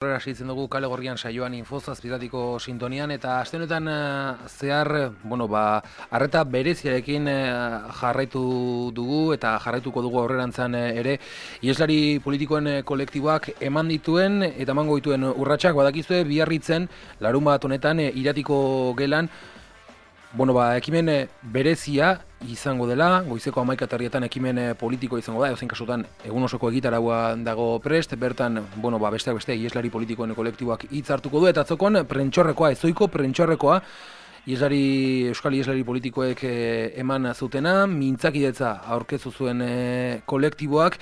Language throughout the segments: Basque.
Hasitzen dugu Kale Gorrian saioan Infozazpiratiko sintonian eta aste honetan zehar, arreta bereziarekin jarraitu dugu eta jarraituko dugu aurrerantzan ere iheslari politikoen kolektiboak eman dituen eta emango dituen urratsak badakizue biarritzen larunbat honetan Iratiko gelan ekimen berezia izango dela, goizeko 11:00 ekimen politiko izango da, edozein kasutan egun osoko egitaraua dago prest, bertan, besteak beste iheslari politikoen kolektiboak hitz hartuko du, eta atzokon prentxorrekoa, ezoiko prentxorrekoa, Euskal Iheslari politikoek eman zutena, mintzakidetza aurkeztu zuen kolektiboak,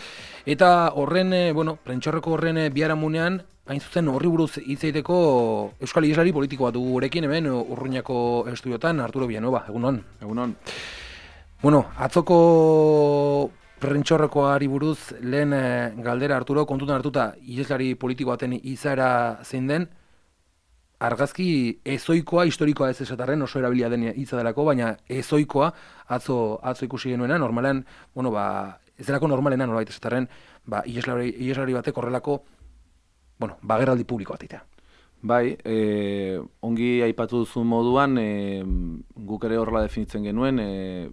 eta horren, prentxorreko horren biharamunean, hain zuzen horri buruz hitz egiteko Euskal Iheslari politikoa dugu gurekin hemen Urruñako estudiotan, Arturo Villanueva, egunon. Egunon. Atzoko prentxorrekoari buruz lehen galdera Arturo, kontutan hartuta iheslari politiko baten izaera zein den, argazki ezoikoa, historikoa ez esatarren, oso erabilia den hitza delako, baina ezoikoa atzo ikusi genuena, normalean, ez delako normalena nolabait esatarren, iheslari batek horrelako, bagerraldi publiko bat itea. Bai, ongi aipatu duzun moduan, guk ere horrela definitzen genuen,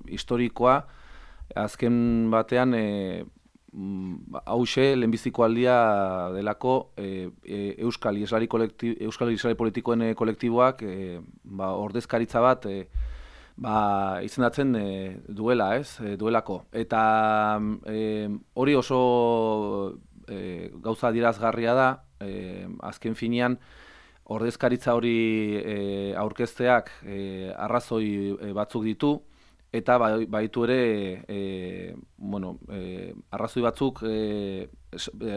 historikoa, azken batean, hause, lehenbiziko aldia delako, Euskal Iheslari politikoen kolektiboak, ordezkaritza bat, izendatzen duela, duelako. Eta hori oso gauza adierazgarria da, azken finean, ordezkaritza hori aurkezteak arrazoi batzuk ditu, eta baitu ere arrazoi batzuk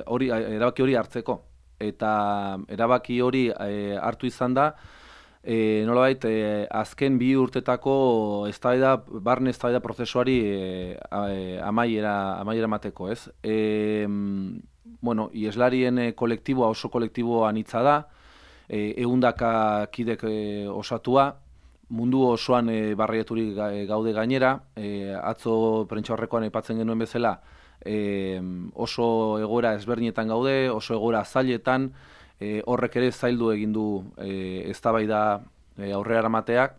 erabaki hori hartzeko. Eta erabaki hori hartu izan da, nolabait azken 2 urtetako barne eztabaida prozesuari amaiera emateko, ez? Iheslarien kolektiboa oso kolektiboa anitza da, 100 kidek osatua, mundu osoan barrieturik gaude gainera, atzo prentxaurrekoan aipatzen genuen bezala, oso egoera ezberdinetan gaude, oso egoera zailetan, horrek ere zaildu egin du eztabaida aurrera eramateak,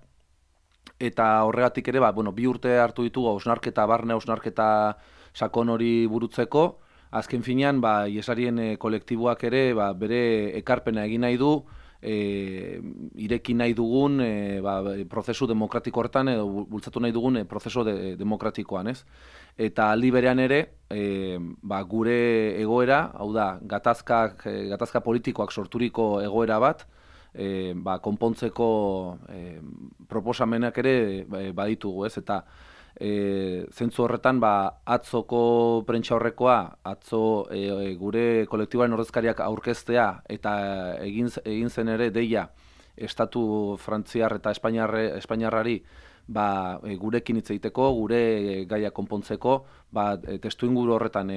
eta horregatik ere, 2 urte hartu ditugu barne hausnarketa sakon hori burutzeko, azken finean, iheslarien kolektiboak ere bere ekarpena egin nahi du, ireki nahi dugun prozesu demokratiko horretan, edo bultzatu nahi dugun prozesu demokratikoan, ez? Eta aldi berean ere, gure egoera, hau da, gatazka politikoak sorturiko egoera bat, konpontzeko proposamenak ere baditugu, ez? Eta zentzu horretan, atzoko prentxaurrekoa, atzo gure kolektiboaren ordezkariak aurkeztea eta egin zen ere deia estatu frantziar eta espainiarrari gurekin hitz egiteko, gure gaia konpontzeko, testuinguru horretan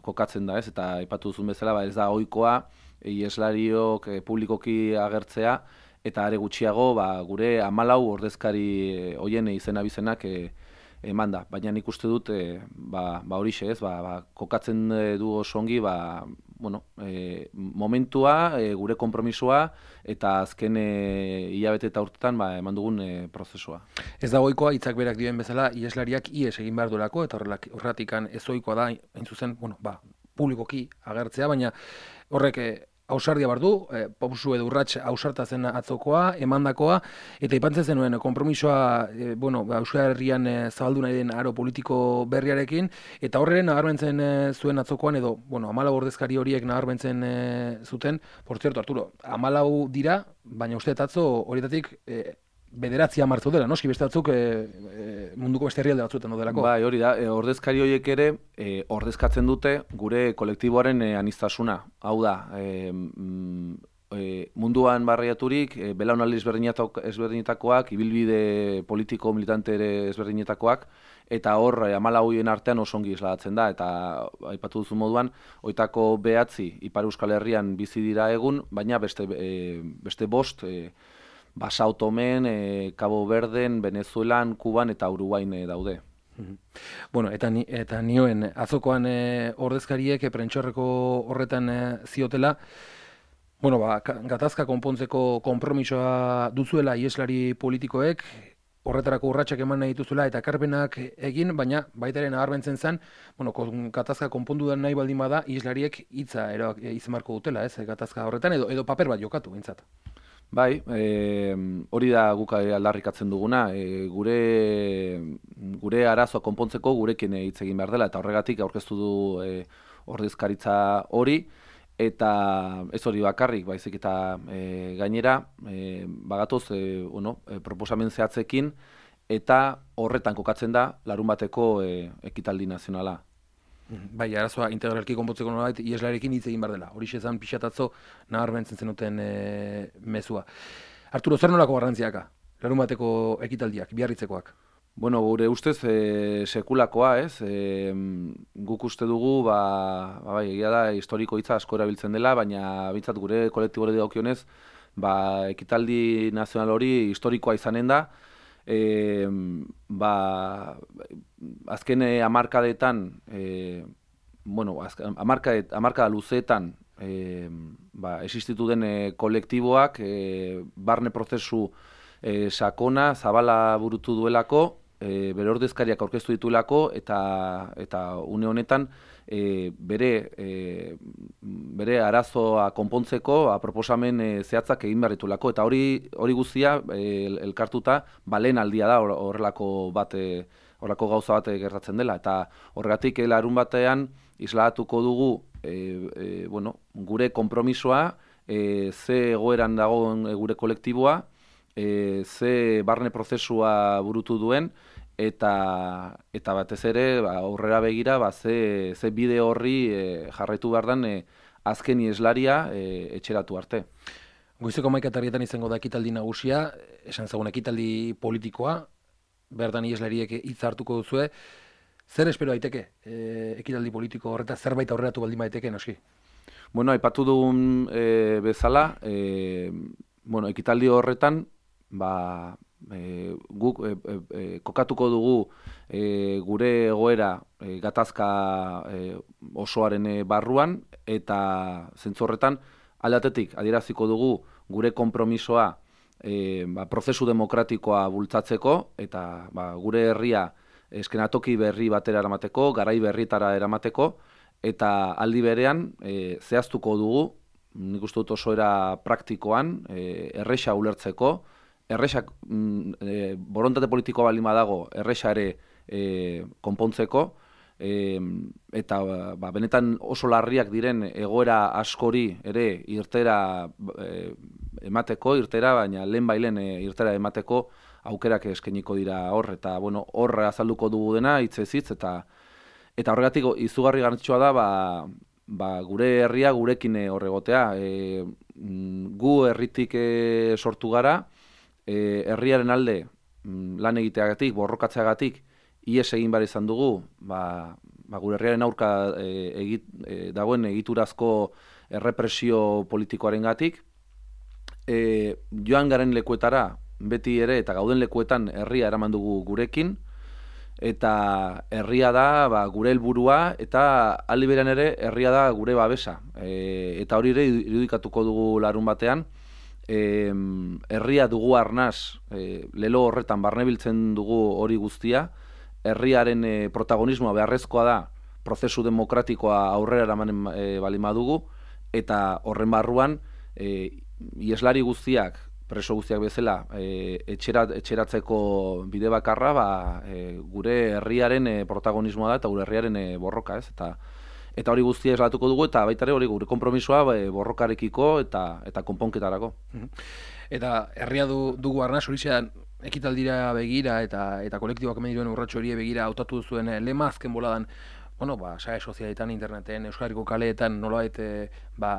kokatzen da, ez? Eta aipatu duzun bezala, ez da ohikoa iheslariok publikoki agertzea, eta are gutxiago gure 14 ordezkari hoien izena-bizenak eman da. Baina nik uste dut, horixe, ez? Kokatzen du oso ongi, momentua, gure konpromisoa, eta azken hilabete eta urtetan eman dugun prozesua. Ez da ohikoa hitzak berak dioen bezala, iheslariak ihes egin behar duelako, eta horregatik ez ohikoa da, hain zuzen, publikoki agertzea, baina horrek ausardia behar du, pausu edo urrats ausarta zen atzokoa, emandakoa, eta ipantzen zenuen konpromisoa Euskal Herrian zabaldu nahi den aro politiko berriarekin, eta horren nabarmentzen zuen atzokoan, edo 14 ordezkari horiek nabarmentzen zuten, por cierto, Arturo, 14 dira, baina uste atzo horietatik 9 martzu dela, noski beste batzuk munduko beste herrialde batzuetan dodelako. Bai, hori da, ordezkari horiek ere ordezkatzen dute gure kolektiboaren aniztasuna. Hau da, munduan barriaturik, belaunaldi ezberdinetakoak, ibilbide politiko militante ere ezberdinetakoak, eta hor 14 artean oso ongi islatzen da, eta aipatu duzu moduan, hoitako 9 Ipar Euskal Herrian bizi dira egun, baina beste 5, Sao Tomen, Cabo Verden, Venezuelan, Kuban eta Uruguain daude. Eta nioen atzokoan ordezkariek prentxorreko horretan ziotela, Bueno, gatazka konpontzeko konpromisoa duzuela ieslari politikoek, horretarako urratsak eman nahi dituzuela eta ekarpenak egin, baina baita ere nabarmentzen zen, bueno, gatazka konpondu nahi baldin bada, ieslariek hitza izan beharko dutela, ez, gatazka horretan, edo paper bat jokatu, bintzat. Bai, hori da guk aldarrikatzen duguna, gure arazoa konpontzeko gurekin hitz egin behar dela, eta horregatik aurkeztu du ordezkaritza hori, eta ez hori bakarrik, baizik eta gainera, bagatoz, proposamen zehatzekin, eta horretan kokatzen da larunbateko ekitaldi nazionala. Bai, arazoa integralki konpontzeko nolabait ieslarekin hitz egin behar dela. Horixe zen pixatatzo nabarmentzen zenuten mezua. Arturo, zer nolako garrantziaka? Larunbateko ekitaldiak, Biarritzekoak? Bueno, gure ustez sekulakoa, ez? Guk uste dugu, bai, egia da, historiko hitza asko erabiltzen dela, baina bintzat gure kolektibore dagokionez, ekitaldi nazional hori historikoa izanen da, azken hamarkadetan, hamarkada luzeetan existitu den kolektiboak barne prozesu sakona, zabala burutu duelako, bere ordezkariak aurkeztu dituelako, eta une honetan bere arazoa konpontzeko proposamen zehatzak egin behar ditulako, eta hori guztia elkartuta lehen aldia da horrelako gauza bat gertatzen dela, eta horregatik larun batean isladatuko dugu gure konpromisoa, ze egoeran dagoen gure kolektiboa, ze barne prozesua burutu duen, eta batez ere aurrera begira ze bide horri jarraitu behar den azken ieslaria etxeratu arte. Goizeko 11:00 izango da ekitaldi nagusia, esan zagun ekitaldi politikoa, bertan ieslariek hitz hartuko duzue. Zer espero daiteke ekitaldi politiko horreta, zerbait aurreratu baldin daiteke, noski? Bueno, aipatu dugun bezala, ekitaldi horretan, guk kokatuko dugu gure egoera gatazka osoaren barruan, eta zentzu horretan aldatetik adieraziko dugu gure konpromisoa prozesu demokratikoa bultzatzeko, eta gure herria eskenatoki berri batera eramateko, garai berrietara eramateko, eta aldi berean zehaztuko dugu, nik uste dut oso era praktikoan, erresa ulertzeko, erresak borontate politikoa baldin badago, erresa ere konpontzeko, eta benetan oso larriak diren egoera askori ere irtera emateko, baina lehen irtera emateko aukerak eskainiko dira hor, eta hor azalduko dugu dena, hitzez hitz, eta horregatik izugarri garrantzitsua da, gure herria gurekin horregotea. Gu herritik sortu gara, herriaren alde lan egiteagatik, borrokatzeagatik, ihes egin behar izan dugu, gure herriaren aurka dagoen egiturazko errepresio politikoarengatik. Joan garen lekuetara, beti ere, eta gauden lekuetan herria eraman dugu gurekin, eta herria da gure helburua, eta aldi berean ere herria da gure babesa. Eta hori ere irudikatuko dugu larun batean, herria dugu arnaz, lelo horretan barnebiltzen dugu hori guztia, herriaren protagonismoa beharrezkoa da, prozesu demokratikoa aurrera eraman baldin badugu, eta horren barruan, ieslari guztiak, preso guztiak bezala, etxeratzeko bide bakarra, gure herriaren protagonismoa da, eta gure herriaren borroka, ez? Eta hori guztia eslatuko dugu, eta baita ere hori gure konpromisoa borrokarekiko eta konponketarako. Eta herria dugu arnaz, hori ekitaldira begira eta kolektiboak hemen diruen urratxo hori begira hautatu zuen lema azken boladan, sare sozialetan, interneten, Euskal Herriko kaleetan nolabait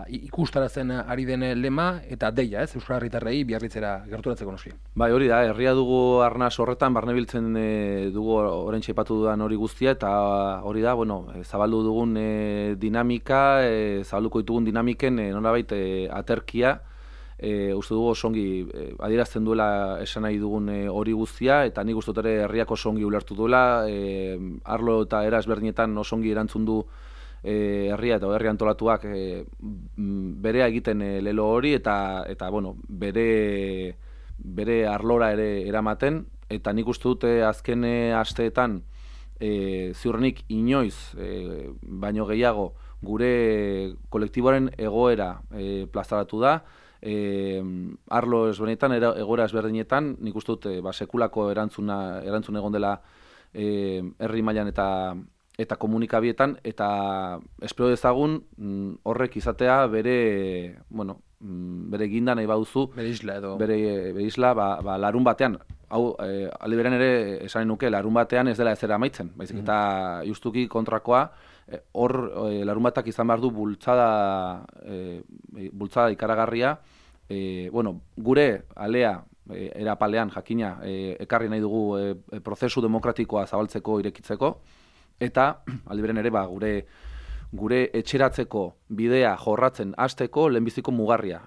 ikustarazen ari den lema eta deia, ez? Euskal Herritarrei Biarritzera gerturatzeko noski. Bai, hori da, herria dugu arnaz horretan barnebiltzen dugu oraintxe aipatu dudan hori guztia, eta hori da, zabaldu dugun dinamika, zabalduko ditugun dinamiken nolabait aterkia, uste dugu osongi adierazten duela esan nahi dugun hori guztia, eta nik uste dut ere herriak osongi ulertu duela, arlo eta era ezberdinetan osongi erantzun du herria eta herri antolatuak berea egiten lelo hori eta bueno, bere arlora ere eramaten, eta nik uste dute azken asteetan ziurrenik inoiz baino gehiago gure kolektiboaren egoera plazaratu da, arlo ezberdinetan, egoera ezberdinetan, nik uste dut sekulako erantzun egon dela herri mailan eta komunikabietan, eta espero dezagun horrek izatea bere ginda nahi baduzu, bere isla edo. Bere isla, larun batean, hau, alde berean ere esanen nuke, larun batean ez dela ezera amaitzen, baizik eta justuki kontrakoa, hor larun batak izan behar du bultzada ikaragarria, gure alea, erapalean jakina, ekarri nahi dugu prozesu demokratikoa zabaltzeko, irekitzeko, eta alde berean ere gure etxeratzeko bidea jorratzen hasteko lehenbiziko mugarria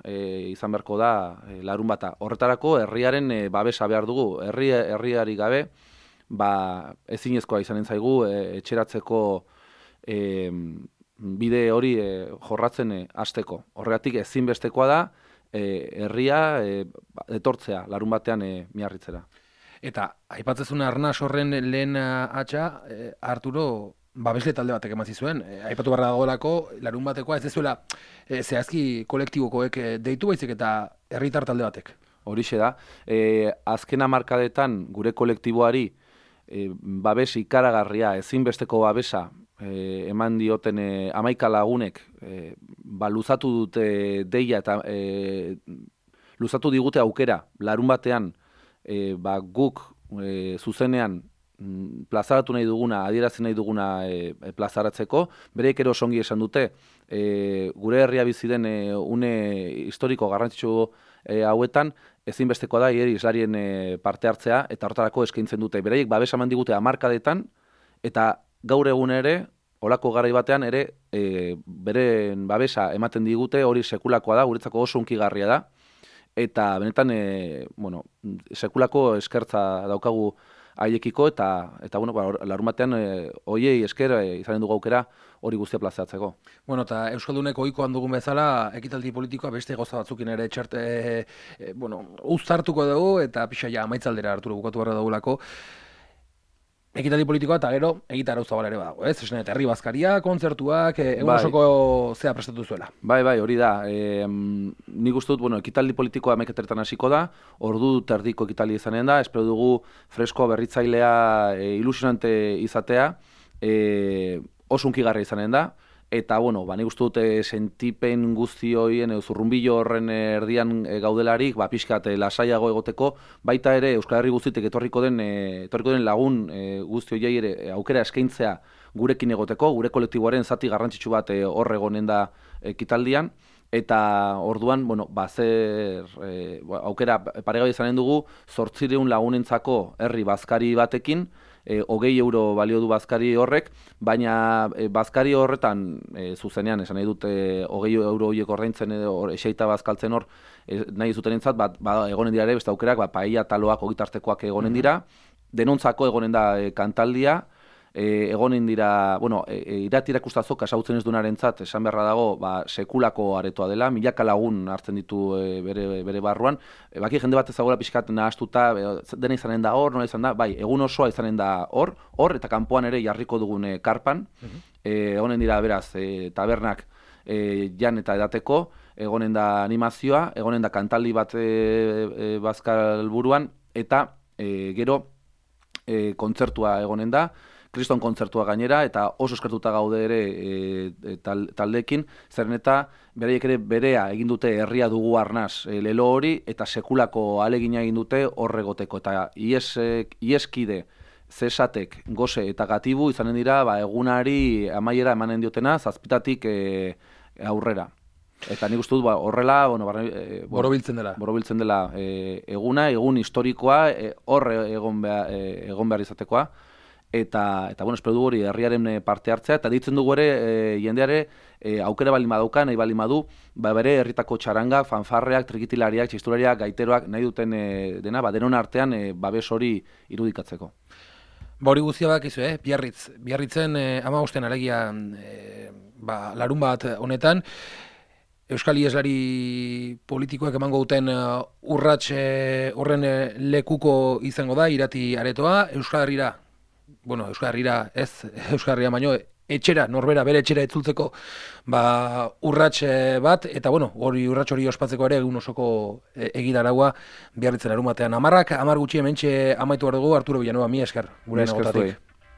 izan beharko da larun bata. Horretarako herriaren babesa behar dugu. Herriari gabe ezinezkoa izanen zaigu etxeratzeko bide hori jorratzen hasteko. Horregatik ezinbestekoa da herria etortzea larun batean miarritzera. Eta aipatzezun Arnas horren lehen hatxa, Arturo babesle talde batek eman zizuen. Aipatu barra dagoelako, larun batekoa ez dezuela zehazki kolektibokoek deitu baizik eta herritar talde batek. Horixe da. Azken hamarkadetan gure kolektiboari babes ikaragarria, ezinbesteko babesa eman dioten 11 lagunek luzatu dute deia eta luzatu digute aukera larun batean guk zuzenean plazaratu nahi duguna, adierazi nahi duguna plazaratzeko, bereik ere osongi esan dute, gure herria bizi den une historiko garrantzitsu hauetan, ezinbestekoa da hiri islarien parte hartzea, eta hortarako eskaintzen dute. Bereiek babesa eman digute hamarkadetan, eta gaur egun ere, olako garai batean ere, beren babesa ematen digute, hori sekulakoa da, guretzako oso hunkigarria da, eta benetan, sekulako eskertza daukagu haiekiko, eta larun batean hoiei esker izanen dugu aukera hori guztia plazaratzeko. Bueno, eta Euskaldunek ohikoan dugun bezala, ekitaldi politikoa beste gauza batzukin ere uztartuko dugu, eta pixa ja amaitzaldera Arturo bukatu barra dugulako. Ekitaldi politikoa eta gero egitarau zabala ere badago, ez? Esan eta herri bazkaria, kontzertuak, egun osoko zea prestatu zuela. Bai, hori da. Nik uste dut, ekitaldi politikoa ameketeretan hasiko da, ordu terdiko ekitaldi izanen da, espero dugu freskoa berritzailea ilusionante izatea, oso hunkigarria izanen da, eta, nik uste dut sentipen guzti horien, zurrunbilo horren erdian gaudelarik, pixkat lasaiago egoteko, baita ere Euskal Herri guztitik etorriko den lagun guzti horiei ere aukera eskaintzea gurekin egoteko, gure kolektiboaren zati garrantzitsu bat hor egonen da ekitaldian, eta orduan, aukera paregabe izanen dugu, 800 lagunentzako herri bazkari batekin, 20 euro balio du bazkari horrek, baina bazkari horretan zuzenean, esan nahi dut 20 euro horiek ordaintzen edo eseita bazkaltzen hor nahi zutenentzat, egonen dira ere, beste aukerak, paella taloak ogitartekoak egonen dira, denontzako egonen da kantaldia, egonen dira, irati erakustazo kasautzen ez duenarentzat esan beharra dago, sekulako aretoa dela, milaka lagun hartzen ditu bere barruan, baki jende bat ezagola pixkat nahastuta, dena izanen da hor, nola izan da, egun osoa izanen da hor, eta kanpoan ere jarriko dugun karpan, egonen dira beraz, tabernak jan eta edateko, egonen da animazioa, egonen da kantaldi bat bazkal buruan, eta gero kontzertua egonen da, Kriston kontzertua gainera, eta oso eskertuta gaude ere taldeekin, zeren eta beraiek ere berea egin dute herria dugu Arnas lelo hori, eta sekulako ahalegina egin dute horregoteko, eta ieskide zesatek, goze eta gatibu izanen dira egunari amaiera emanen diotena, 7 aurrera. Eta nik uste dut horrela, borobiltzen dela eguna, egun historikoa, hor egon behar izatekoa, eta espero dugu hori herriaren parte hartzea, eta ditzen dugu ere jendeare aukera baldin badauka, nahi baldin badu, bere herritako txaranga, fanfarreak, trikitilariak, txistulariak, gaiteroak, nahi duten dena, denon artean babes hori irudikatzeko. Hori guztia bakizu, Biarritzen 15 alegia larun bat honetan, Euskal Iheslari politikoek emango duten urrats horren lekuko izango da, irati aretoa, Euskal Herrira ez, Euskal Herrira baino, etxera, norbera bere etxera etzultzeko urrats bat, eta hori urrats hori ospatzeko ere egun osoko egitaragua Biarritzen larun batean. 10 gutxi hementxe amaitu behar dugu, Arturo Villanueva, mila esker. Mila esker zuei.